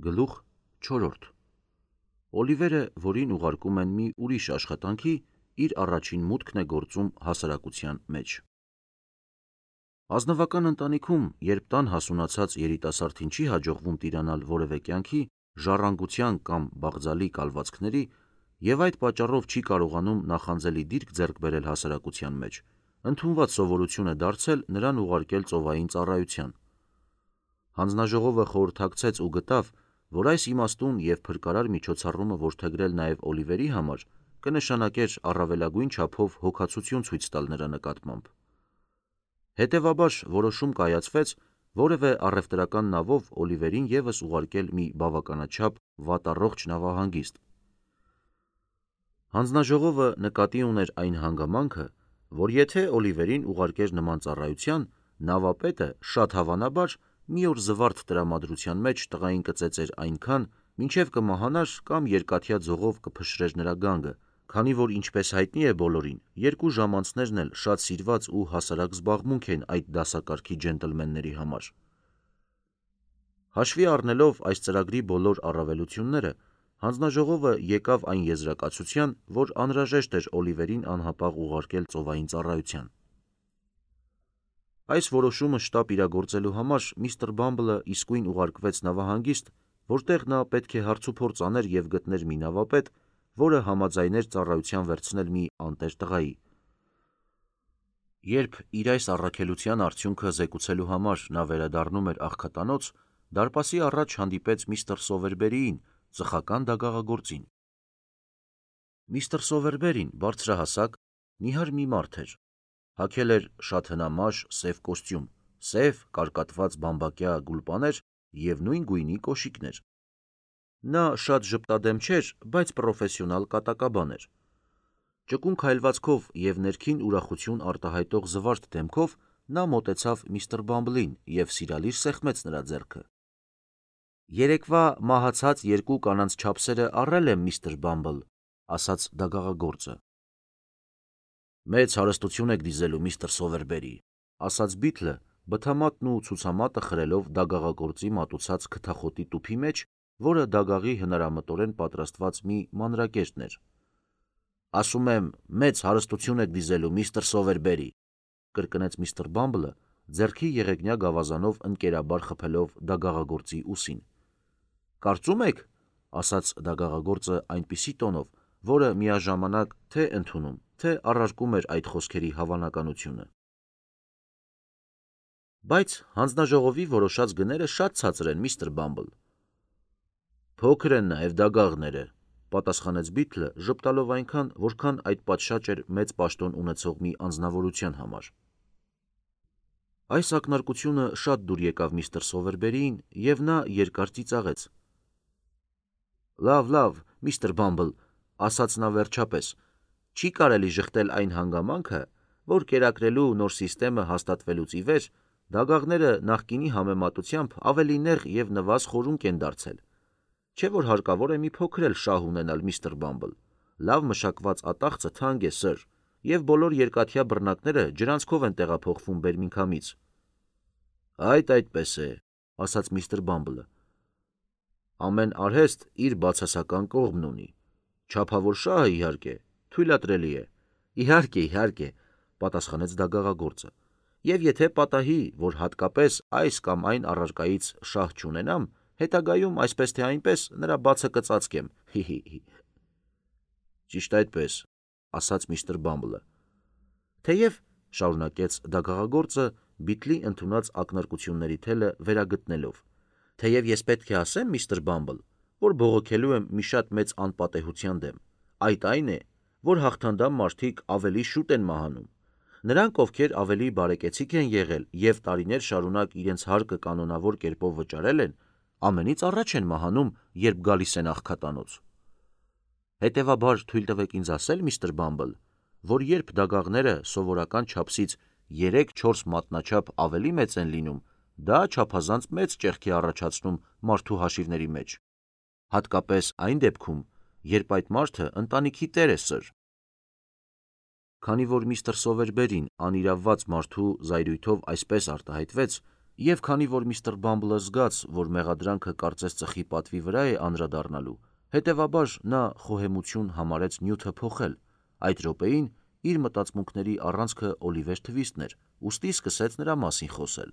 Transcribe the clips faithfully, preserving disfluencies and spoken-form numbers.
Գլուխ չորրորդ Օլիվերը, որին ուղարկում են մի ուրիշ աշխատանքի, իր առաջին մուտքն է գործում հասարակության մեջ։ Ազնվական ընտանիքում, երբ տան հասունացած երիտասարդին չի հաջողվում տիրանալ որևէ կյանքի, ժառանգության կամ բաղձալի կալվածքների և այդ պատճառով չի կարողանում նախանձելի դիրք ձեռք բերել հասարակության մեջ, ընդունված սովորություն է դարձել նրան ուղարկել ծովային ծառայության։ Հանձնաժողովը խորհրդակցեց ու գտավ, որ այս իմաստուն և փրկարար միջոցառումը որդեգրել նաև Օլիվերի համար կնշանակեր առավելագույն չափով հոգացություն ցույց տալ նրա նկատմամբ։ Հետևաբար որոշում կայացվեց որևէ առևտրական նավով Օլիվերին ևս ուղարկել մի բավականաչափ վատառողջ նավահանգիստ։ Հանձնաժողովը նկատի ուներ այն հանգամանքը, որ եթե Օլիվերին ուղարկեր նման ծառայության, նավապետը շատ հավանաբար մի օր զվարթ տրամադրության մեջ տղային կծեծեր այնքան, մինչև կմահանար կամ երկաթյա ձողով կփշրեր նրա գանգը, քանի որ ինչպես հայտնի է բոլորին, երկու ժամանցներն էլ շատ սիրված ու հասարակ զբաղմունք են այդ դասակարգի ջենտլմենների համար։ Հաշվի առնելով այս ծրագրի բոլոր առավելությունները, հանձնաժողովը եկավ այն եզրակացության, որ անհրաժեշտ էր Օլիվերին անհապաղ ուղարկել ծովային ծառայության։ Այս որոշումը շտապ իրագործելու համար միստր Բամբլը իսկույն ուղարկվեց նավահանգիստ, որտեղ նա պետք է հարցուփորձ աներ և գտներ մի նավապետ, որը համաձայներ ծառայության վերցնել մի անտեր տղայի։ Երբ իր այս առաքելության արդյունքը զեկուցելու համար նա վերադառնում էր աղքատանոց, դարպասի առաջ հանդիպեց միստր Սովերբերիին, ծխական դագաղագործին։ Միստր Սովերբերին բարձրահասակ, նիհար մի մարդ էր, հագել էր շատ հնամաշ սև կոստյում, սև կարկատված բամբակյա գուլպաներ և նույն գույնի կոշիկներ։ Նա շատ ժպտադեմ չէր, բայց պրոֆեսիոնալ կատակաբան էր։ Ճկուն քայլվածքով և ներքին ուրախություն արտահայտող զվարթ դեմքով նա մոտեցավ միստր Բամբլին և սիրալիր սեղմեց նրա ձեռքը։ «Երեկվա մահացած երկու կանանց չափսերը առել եմ, միստր Բամբլ», ասաց դագաղագործը։ «Մեծ հարստություն եք դիզելու, միստր Սովերբերի», ասաց Բիթլը, բթամատն ու ցուցամատը խրելով դագաղագործի մատուցած քթախոտի տուփի մեջ, որը դագաղի հնարամտորեն պատրաստված մի մանրակերտն էր։ «Ասում եմ, մեծ հարստություն եք դիզելու, միստր Սովերբերի», կրկնեց միստր Բամբլը, ձեռքի եղեգնյա գավազանով ընկերաբար խփելով դագաղագործի ուսին։ «Կարծում եք», ասաց դագաղագործը այնպիսի տոնով, որը միաժամանակ թե ընդունում, թե առարկում էր այդ խոսքերի հավանականությունը։ «Բայց հանձնաժողովի որոշած գները շատ ցածր են, միստր Բամբլ»։ «Փոքր են նաև դագաղները», պատասխանեց Բիթլը, ժպտալով այնքան, որքան այդ պատշաճ էր մեծ պաշտոն ունեցող մի անձնավորության համար։ Այս ակնարկությունը շատ դուր եկավ միստր Սովերբերիին, և նա երկար ծիծաղեց։ «Լավ, լավ, միստր Բամբլ», ասաց նա վերջապես, «չի կարելի ժխտել այն հանգամանքը, որ կերակրելու նոր սիստեմը հաստատվելուց ի վեր դագաղները նախկինի համեմատությամբ ավելի նեղ և նվազ խորունկ են դարձել։ Չէ՞ որ հարկավոր է մի փոքր էլ շահ ունենալ, միստր Բամբլ։ Լավ մշակված ատաղձը թանկ է, սըր, և բոլոր երկաթյա բռնակները ջրանցքով են տեղափոխվում Բերմինգհամից»։ «Այդ այդպես է», ասաց միստր Բամբլը։ «Ամեն արհեստ իր բացասական կողմն ունի։ Չափավոր շահը, իհարկե, թույլատրելի է»։ «Իհարկե, իհարկե», պատասխանեց դագաղագործը, «և եթե պատահի, որ հատկապես այս կամ այն առարկայից շահ չունենամ, հետագայում այսպես թե այնպես նրա բացը կծածկեմ, հի՛, հի՛, հի՛»։ «Ճիշտ այդպես», ասաց միստր Բամբլը։ «Թեև», շարունակեց դագաղագործը, Բիթլի ընդունած ակնարկությունների թելը վերագտնելով, «թեև ես պետք է ասեմ, միստր Բամբլ, որ բողոքելու եմ մի շատ մեծ անպատեհության դեմ։ Այդ այն է, որ հաղթանդամ մարդիկ ավելի շուտ են մահանում։ Նրանք, ովքեր ավելի բարեկեցիկ են եղել և տարիներ շարունակ իրենց հարկը կանոնավոր կերպով վճարել են, ամենից առաջ են մահանում, երբ գալիս են աղքատանոց։ Հետևաբար թույլ տվեք ինձ ասել, միստր Բամբլ, որ երբ դագաղները սովորական չափսից երեք-չորս մատնաչափ ավելի մեծ են լինում, դա չափազանց մեծ ճեղք է առաջացնում մարդու հաշիվների մեջ, հատկապես այն դեպքում, երբ այդ մարդը ընտանիքի տեր է, սըր»։ Քանի որ միստր Սովերբերին անիրավված մարդու զայրույթով այսպես արտահայտվեց, Եվ քանի որ միստր Բամբլը զգաց, որ մեղադրանքը կարծես ծխի պատվի վրա է անդրադառնալու, հետևաբար նա խոհեմություն համարեց նյութը փոխել, այդ րոպեին իր մտածմունքների առանցքը Օլիվեր Թվիստն էր, ուստի սկսեց նրա մասին խոսել։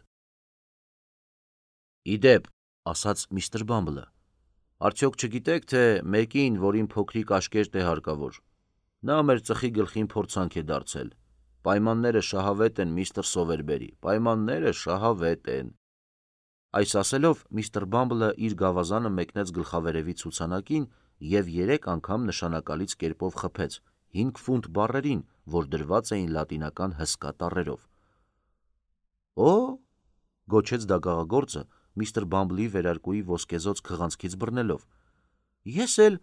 «Ի դեպ», ասաց միստր Բամբլը, «արդյոք չգիտեք, թե մեկին, որին փոքրիկ աշկերտ է հարկավոր, նա մեր ծխի գլխին փորձանք է դարձել։ Պայմանները շահավետ են, միստր Սովերբերի, պայմանները շահավետ են»։ Այս ասելով միստր Բամբլը իր գավազանը մեկնեց գլխավերևի ցուցանակին և երեք անգամ նշանակալից կերպով խփեց հինգ ֆունտ բառերին, որ դրված էին լատինական հսկա տառերով։ «Օ՜», գոչեց դագաղագործը միստր Բամբլի վերարկուի ոսկեզօծ քղանցքից բռնելով, «ես էլ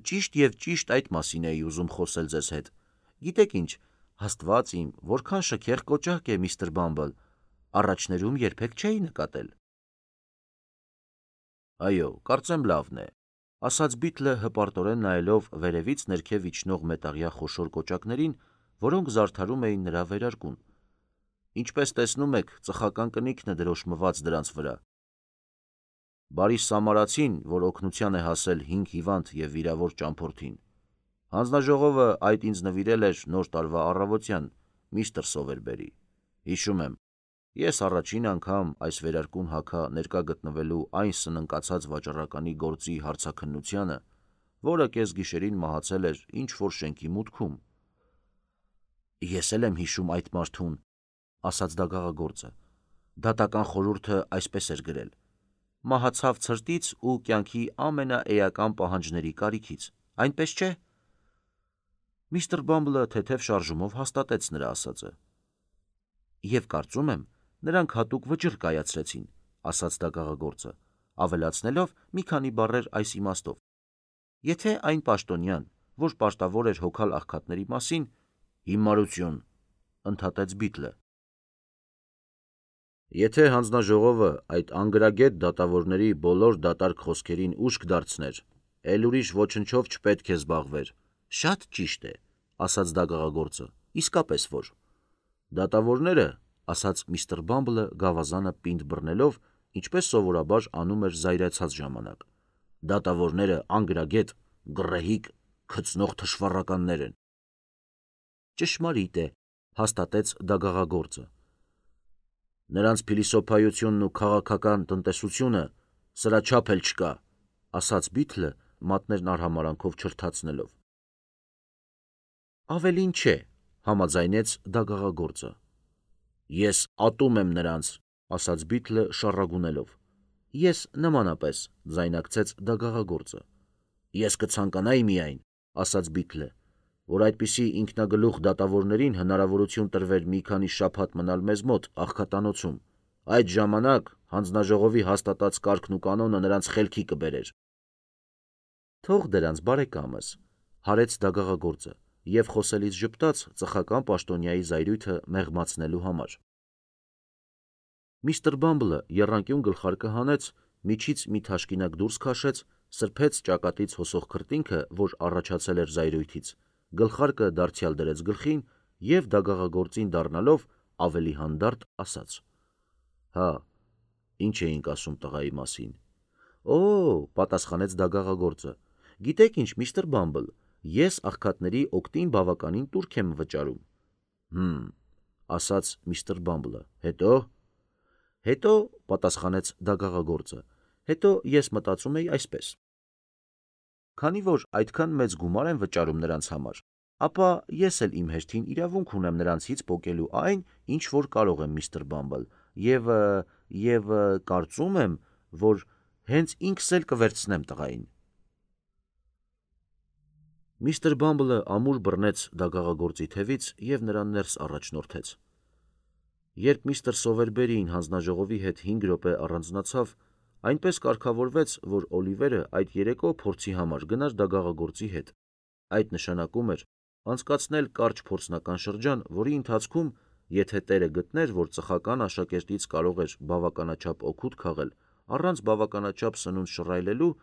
ճիշտ և ճիշտ այդ մասին էի ուզում խոսել ձեզ հետ։ Գիտեք ինչ, Աստված իմ, որքան շքեղ կոճակ է, միստր Բամբլ, առաջներում երբեք չէի նկատել»։ «Այո, կարծեմ լավն է», ասաց Բիթլը հպարտորեն նայելով վերևից ներքև իջնող մետաղյա խոշոր կոճակներին, որոնք զարդարում էին նրա վերարկուն։ «Ինչպես տեսնում եք, ծխական կնիքն է դրոշմված դրանց վրա։ Բարի Սամարացին, որ օգնության է հասել հինգ հիվանդ և վիրավոր ճամփորդին։ Հանձնաժողովը այդ ինձ նվիրել էր նոր տարվա առավոտյան, միստր Սովերբերի։ Հիշում եմ, ես առաջին անգամ այս վերարկուն հագա ներկա գտնվելու այն սնընկացած վաճառականի գործի հարցաքննությանը, որը կեսգիշերին մահացել էր ինչ-որ շենքի մուտքում։ «Ես էլ եմ հիշում այդ մարդուն», ասաց դագաղագործը։ «Դատական խորհուրդը այսպես էր գրել. մահացավ ցրտից ու կյանքի ամենաէական պահանջների կարիքից, այնպես չէ»։ Միստր Բամբլը թեթև շարժումով հաստատեց նրա ասածը։ «Եվ կարծում եմ, նրանք հատուկ վճիռ կայացրեցին», ասաց դագաղագործը, ավելացնելով մի քանի բառեր այս իմաստով. «Եթե այն պաշտոնյան, որ պարտավոր էր հոգալ աղքատների մասին, հիմարություն», ընդհատեց Բիթլը։ «Եթե հանձնաժողովը այդ անգրագետ դատավորների բոլոր դատարկ խոսքերին ուշք դարձներ, էլ ուրիշ ոչնչով չպետք է զբաղվեր»։ «Շատ ճիշտ է», ասաց դագաղագործը, «իսկապես որ»։ «Դատավորները», ասաց միստր Բամբլը գավազանը պինդ բռնելով, ինչպես սովորաբար անում էր զայրացած ժամանակ, «դատավորները անգրագետ, գռեհիկ, քծնող թշվառականներ են»։ «Ճշմարիտ է», հաստատեց դագաղագործը։ «Նրանց փիլիսոփայությունն ու քաղաքական տնտեսությունը սրա չափ էլ չկա», ասաց Բիթլը մատներն արհամարհանքով չրթացնելով։ «Ավելին չէ», համաձայնեց դագաղագործը։ «Ես ատում եմ նրանց», ասաց Բիթլը շառագունելով։ «Ես նմանապես», ձայնարկեց դագաղագործը։ «Ես կցանկանայի միայն», ասաց Բիթլը, «որ այդպիսի ինքնագլուխ դատավորներին հնարավորություն տրվեր մի քանի շաբաթ մնալ մեզ մոտ աղքատանոցում, այդ ժամանակ հանձնաժողովի հաստատած կարգն ու կանոնը նրանց խելքի կբերեր»։ «Թող դրանց, բարեկամս», հարեց դագաղագործը և խոսելիս ժպտաց ծխական պաշտոնյայի զայրույթը մեղմացնելու համար։ Միստր Բամբլը եռանկյուն գլխարկը հանեց, միջից մի թաշկինակ դուրս քաշեց, սրբեց ճակատից հոսող քրտինքը, որ առաջացել էր զայրույթից, գլխարկը դարձյալ դրեց գլխին և դագաղագործին դառնալով ավելի հանդարտ ասաց. «Հա, ինչ էինք ասում տղայի մասին»։ «Օ՜», պատասխանեց դագաղագործը, «գիտեք ինչ, միստր Բամբլ, ես աղքատների օգտին բավականին տուրք եմ վճարում»։ «Հը՛մ», ասաց միստր Բամբլը, «հետո»։ «Հետո», պատասխանեց դագաղագործը, «հետո ես մտածում էի այսպես. քանի որ այդքան մեծ գումար եմ վճարում նրանց համար, ապա ես էլ իմ հերթին իրավունք ունեմ նրանցից պոկելու այն, ինչ որ կարող եմ, միստր Բամբլ, և, և կարծում եմ, որ հենց ինքս էլ կվերցնեմ տղային»։ Միստր Բամբլը ամուր բռնեց դագաղագործի թևից և նրան ներս առաջնորդեց։ Երբ միստր Սովերբերին հանձնաժողովի հետ հինգ րոպե առանձնացավ, այնպես կարգավորվեց, որ Օլիվերը այդ երեկո փորձի համար գնար դագաղագործի հետ։ Այդ նշանակում էր անցկացնել կարճ փորձնական շրջան, որի ընթացքում, եթե տերը գտներ, որ ծխական աշակերտից կարող էր բավականաչափ օգուտ քաղել առանց բավականաչափ սնունդ շռայլելու,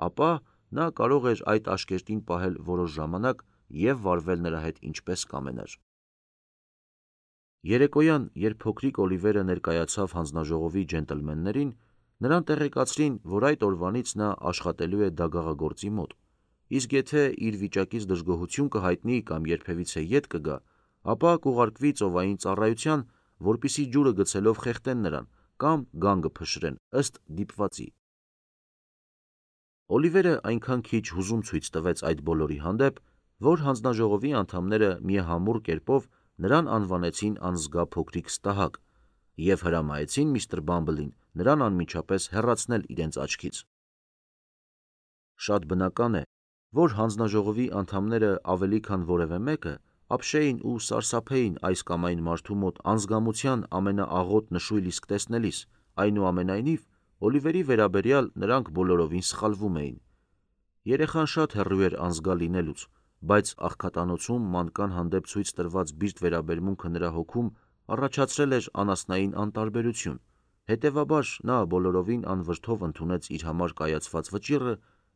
ապա նա կարող էր այդ աշկերտին պահել որոշ ժամանակ և վարվել նրա հետ ինչպես կամենար։ Երեկոյան, երբ փոքրիկ Օլիվերը ներկայացավ հանձնաժողովի ջենտլմեններին, նրան տեղեկացրին, որ այդ օրվանից նա աշխատելու է դագաղագործի մոտ, իսկ եթե իր վիճակից դժգոհություն կհայտնի կամ երբևիցե ետ կգա, ապա կուղարկվի ծովային ծառայության, որպեսզի ջուրը գցելով խեղդեն նրան կամ գանգը փշրեն ըստ դիպվածի։ Օլիվերը այնքան քիչ հուզում ցույց տվեց այդ բոլորի հանդեպ, որ հանձնաժողովի անդամները միահամուռ կերպով նրան անվանեցին անզգա փոքրիկ ստահակ և հրամայեցին միստր Բամբլին նրան անմիջապես հեռացնել իրենց աչքից։ Շատ բնական է, որ հանձնաժողովի անդամները ավելի քան որևէ մեկը ապշեին ու սարսափեին այս կամ այն մարդու մոտ անզգամության ամենաաղոտ նշույլ իսկ տեսնելիս, այնուամենայնիվ, Օլիվերի վերաբերյալ նրանք բոլորովին սխալվում էին։ Երեխան շատ հեռու էր անզգա լինելուց, բայց աղքատանոցում մանկան հանդեպ ցույց տրված բիրտ վերաբերմունքը նրա հոգում առաջացրել էր անասնային անտարբերություն, հետևաբար նա բոլորովին անվրդով ընդունեց իր համար կայացված վճիռը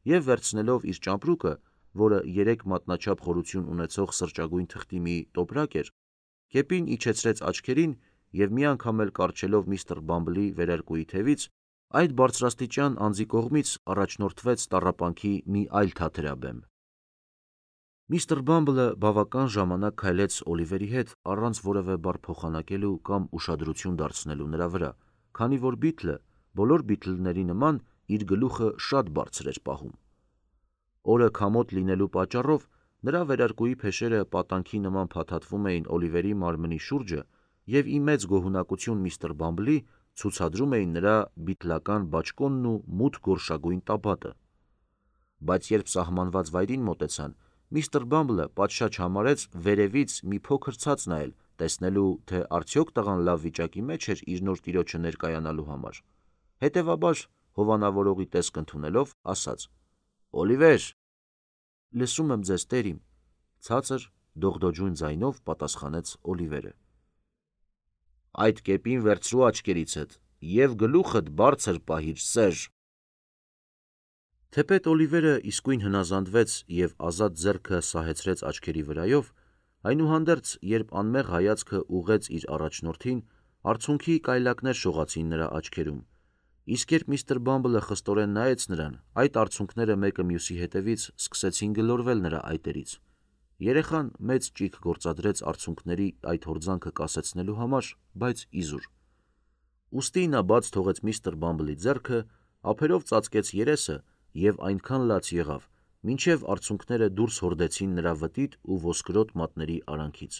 և վերցնելով իր ճամպրուկը, որը երեք մատնաչափ խորություն ունեցող սրճագույն թղթի մի տոպրակ էր, կեպին իջեցրեց աչքերին և մի անգամ էլ կառչելով միստր Բամբլի վերարկուի թևից, այդ բարձրաստիճան անձի կողմից առաջնորդվեց տառապանքի մի այլ թաթերաբեմ։ Միստր Բամբլը բավական ժամանակ քայլեց Օլիվերի հետ առանց որևէ բառ փոխանակելու կամ ուշադրություն դարձնելու նրա վրա, քանի որ Բիթլը, բոլոր Բիթլների նման, իր գլուխը շատ բարձր էր պահում։ Օրը քամոտ լինելու պատճառով նրա վերարկուի փեշերը պատանքի նման փաթաթվում էին Օլիվերի մարմնի շուրջը և ի մեծ գոհունակություն միստր Բամբլի ցուցադրում էին նրա բիթլական բաճկոնն ու մութ գորշագույն տաբատը։ Բայց երբ սահմանված վայրին մոտեցան, միստր Բամբլը պատշաճ համարեց վերևից մի փոքր ցած նայել, տեսնելու, թե արդյոք տղան լավ վիճակի մեջ էր իր նոր տիրոջը ներկայանալու համար։ Հետևաբար, հովանավորողի տեսք ընդունելով, ասաց. «Օլիվեր»։ «Լսում եմ ձեզ, տեր իմ», ցածր, դողդոջուն ձայնով պատասխանեց Օլիվերը։ «Այդ կեպին վերցրու աչքերիցդ և գլուխդ բարձր պահիր, սեր»։ Թեպետ Օլիվերը իսկույն հնազանդվեց և ազատ ձեռքը սահեցրեց աչքերի վրայով, այնուհանդերձ, երբ անմեղ հայացքը ուղղեց իր առաջնորդին, արցունքի կայլակներ շողացին նրա աչքերում, իսկ երբ միստր Բամբլը խստորեն նայեց նրան, այդ արցունքները մեկը մյուսի հետևից սկսեցին գլորվել նրա այտերից։ Երեխան մեծ ճիգ գործադրեց արցունքների այդ հորձանքը կասեցնելու համար, բայց իզուր։ Ուստի նա բաց թողեց միստր Բամբլի ձեռքը, ափերով ծածկեց երեսը և այնքան լաց եղավ, մինչև արցունքները դուրս հորդեցին նրա վտիտ ու ոսկրոտ մատների արանքից։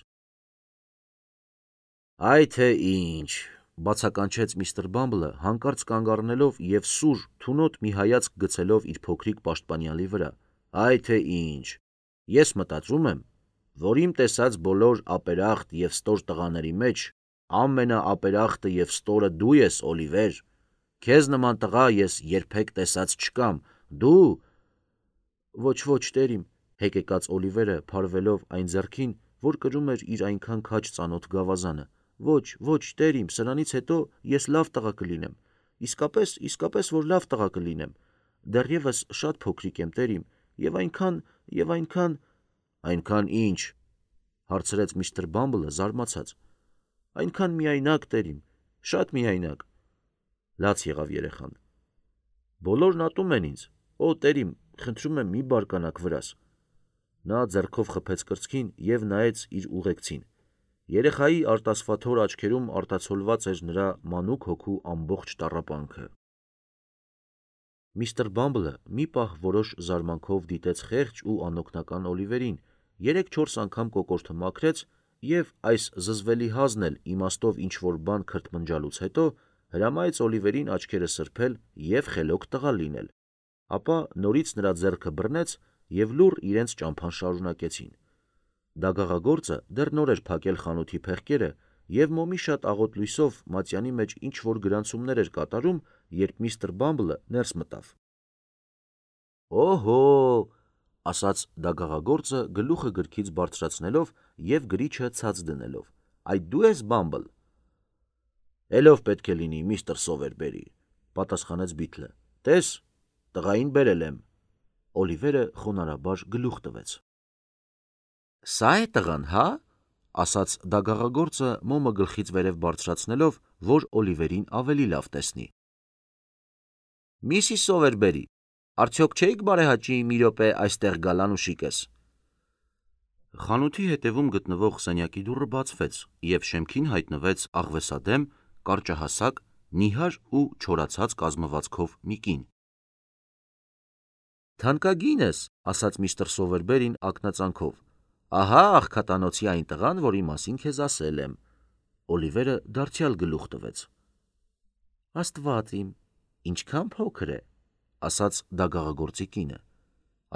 «Այ թե ինչ», բացականչեց միստր Բամբլը, հանկարծ կանգ առնելով և սուր, թունոտ մի հայացք գցելով իր փոքրիկ պաշտպանյալի վրա, «այ թե ինչ, ես մտածում եմ, որ իմ տեսած բոլոր ապերախտ և ստոր տղաների մեջ ամենաապերախտը և ստորը դու ես, Օլիվեր, քեզ նման տղա ես երբեք տեսած չկամ, դու… Ոչ, ոչ, տեր իմ, հեկեկաց Օլիվերը, փարվելով այն ձեռքին, որ կրում էր իր այնքան քաջ ծանոթ գավազանը, ոչ, ոչ, տեր իմ, սրանից հետո ես լավ տղա կլինեմ, իսկապես, իսկապես, որ լավ տղա կլինեմ, դեռևս շատ փոքրիկ եմ, տեր իմ, և այնքան, և այնքան… Այնքան ի՞նչ, հարցրեց միստր Բամբլը զարմացած։ Այնքան միայնակ, տեր իմ, շատ միայնակ, լաց եղավ երեխան։ Բոլորն ատում են ինձ, օ, տեր իմ, խնդրում եմ մի բարկանաք վրաս։ Նա ձեռքով խփեց կրծքին և նայեց իր ուղեկցին։ Երեխայի արտասվաթոր աչքերում արտացոլված էր նրա մանուկ հոգու ամբողջ տառապանքը։ Միստր Բամբլը մի պահ որոշ զարմանքով դիտեց խեղճ ու անօգնական Օլիվերին, երեք-չորս անգամ կոկորդը մաքրեց և, այս զզվելի հազն էլ իմաստով ինչ-որ բան քրթմնջալուց հետո, հրամայեց Օլիվերին աչքերը սրբել և խելոք տղա լինել, ապա նորից նրա ձեռքը բռնեց և լուռ իրենց ճամփան շարունակեցին։ Դագաղագործը դեռ նոր էր փակել խանութի փեղկերը և մոմի շատ աղոտ լույսով մատյանի մեջ ինչ-որ գրանցումներ էր կատարում, երբ միստր Բամբլը ներս մտավ։ «Օհո՜», ասաց դագաղագործը գլուխը գրքից բարձրացնելով և գրիչը ցած դնելով, «այդ դու ես, Բամբլ»։ «Էլով պետք է լինի, միստր Սովերբերի», պատասխանեց Բիթլը, «տես, տղային բերել եմ»։ Օլիվերը խոնարհաբար գլուխ տվեց։ «Սա՞ է տղան, հա՞, ասաց դագաղագործը մոմը գլխից վերև բարձրացնելով, որ Օլիվերին ավելի լավ տեսնի։ Միսիս Սովերբերի, արդյոք չէիք բարեհաճի մի րոպե այստեղ գալ անուշիկս։ Խանութի հետևում գտնվող սենյակի դուռը բացվեց, և շեմքին հայտնվեց աղվեսադեմ, կարճահասակ, նիհար ու չորացած կազմվածքով մի կին։ Թանկագինս, ասաց միստր Սովերբերին ակնածանքով, ահա աղքատանոցի այն տղան, որի մասին քեզ ասել եմ։ Օլիվերը դարձյալ գլուխ տվեց։ Աստված իմ, ինչքան փոքր է, ասաց դագաղագործի կինը։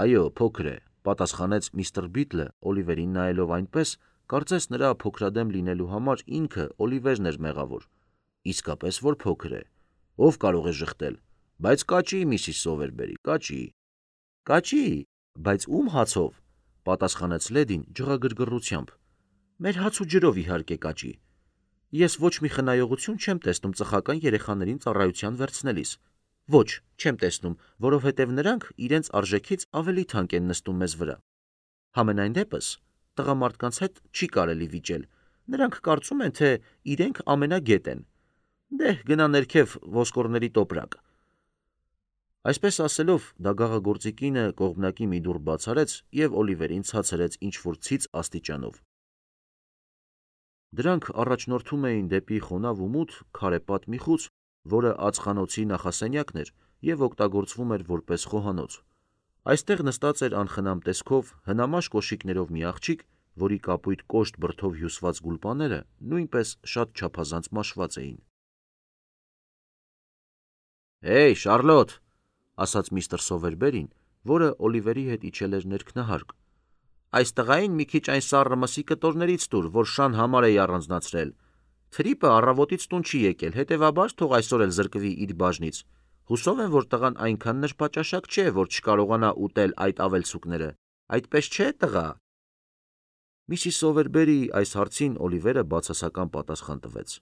Այո, փոքր է, պատասխանեց միստր Բիթլը Օլիվերին նայելով այնպես, կարծես նրա փոքրադեմ լինելու համար ինքը Օլիվերն էր մեղավոր։ Իսկապես որ փոքր է, ով կարող է ժխտել, բայց կաճի, միսիս Սովերբերի, կաճի։ Կաճի, բայց ում հացով, պատասխանեց լեդին ջղագրգռությամբ։ Մեր հաց ու ջրով իհարկե կաճի։ Ես ոչ մի խնայողություն չեմ տեսնում ծխական երեխաներին ծառայության վերցնելիս։ Ոչ, չեմ տեսնում, որովհետև նրանք իրենց արժեքից ավելի թանկ են նստում մեզ վրա։ Համենայն դեպս, տղամարդկանց հետ չի կարելի վիճել, նրանք կարծում են, թե իրենք ամենագետ են։ Դեհ, գնա ներքև ոսկորների տոպրակ։ Այսպես ասելով, դագաղագործի կինը կողմնակի մի դուռ բաց արեց և Օլիվերին ցածրեց ինչ-որ ցից աստիճանով։ Դրանք առաջնորդում էին դեպի խոնավ ու մութ քարեպատ մի խուց, որը ածխանոցի նախասենյակն էր և օգտագործվում էր որպես խոհանոց։ Այստեղ նստած էր անխնամ տեսքով, հնամաշ կոշիկներով մի աղջիկ, որի կապույտ կոշտ բրդով հյուսված գուլպաները նույնպես շատ չափազանց մաշված էին։ Հեյ, Շարլոտ, ասաց միստր Սովերբերին, որը Օլիվերի հետ իջել էր ներքնահարկ, այս տղային մի քիչ այն սառը մսի կտորներից տուր, որ շան համար էի առանձնացրել։ Թրիպը առավոտից տուն չի եկել, հետևաբար թող այսօր էլ զրկվի իր բաժնից։ Հուսով եմ, որ տղան այնքան նրբաճաշակ չէ, որ չկարողանա ուտել այդ ավելցուկները։ Այդպես չէ, տղա։ Միսիս Սովերբերի այս հարցին Օլիվերը բացասական պատասխան տվեց։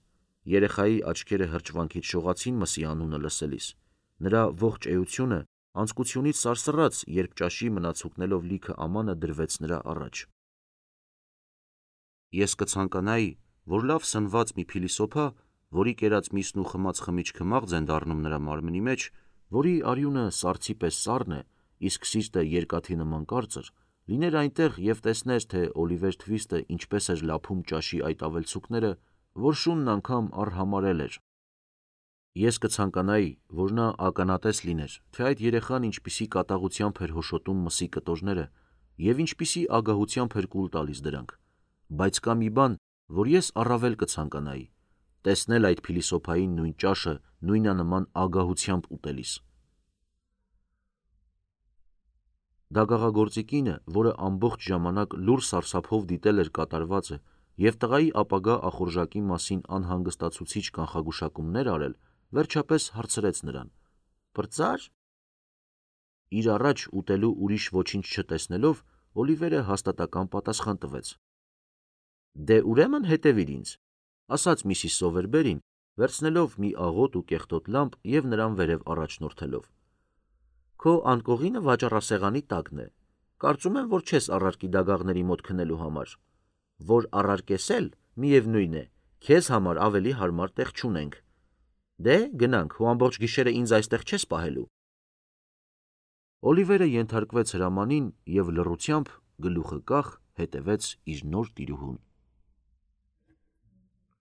Երեխայի աչքերը հրճվանքից շողացին մսի անունը լսելիս։ Նրա ողջ էությունը անձկությունից սարսռաց, երբ ճաշի մնացուկներով լիքը ամանը դրվեց նրա առաջ։ Ես կցանկանայի, որ լավ սնված մի փիլիսոփա, որի կերած միսն ու խմած խմիչքը մաղձ են դառնում նրա մարմնի մեջ, որի արյունը սառցի պես սառն է, իսկ սիրտը երկաթի նման կարծր, լիներ այնտեղ և տեսներ, թե Օլիվեր Թվիստը ինչպես էր լափում ճաշի այդ ավելցուկները, որ շունն անգամ արհամարհել էր։ Ես կցանկանայի, որ նա ականատես լիներ, թե այդ երեխան ինչպիսի կատաղությամբ էր հոշոտում մսի կտորները և ինչպիսի ագահությամբ էր կուլ տալիս դրանք, բայց կա մի բան, որ ես առավել կցանկանայի, տեսնել այդ փիլիսոփային նույն ճաշը նույնանման ագահությամբ ուտելիս։ Դագաղագործի կինը, որը ամբողջ ժամանակ լուռ սարսափով դիտել էր կատարվածը և տղայի ապագա ախորժակի մասին անհանգստացուցիչ կանխագուշակումներ արել, վերջապես հարցրեց նրան. Պրծա՞ր։ Իր առաջ ուտելու ուրիշ ոչինչ չտեսնելով, Օլիվերը հաստատակամ պատասխան տվեց. Դե ուրեմն հետևիր ինձ, ասաց միսիս Սովերբերին, վերցնելով մի աղոտ ու կեղտոտ լամպ և նրան վերև առաջնորդելով։ Քո անկողինը վաճառասեղանի տակն է, կարծում եմ, որ չես առարկի դագաղների մոտ քնելու համար, որ առարկես էլ, միևնույն է, քեզ համար ավելի հարմար տեղ չունենք։ Դե, գնանք, հո ամբողջ գիշերը ինձ այստեղ չես պահելու։ Օլիվերը ենթարկվեց հրամանին և լռությամբ, գլուխը կախ, հետևեց իր նոր տիրուհուն։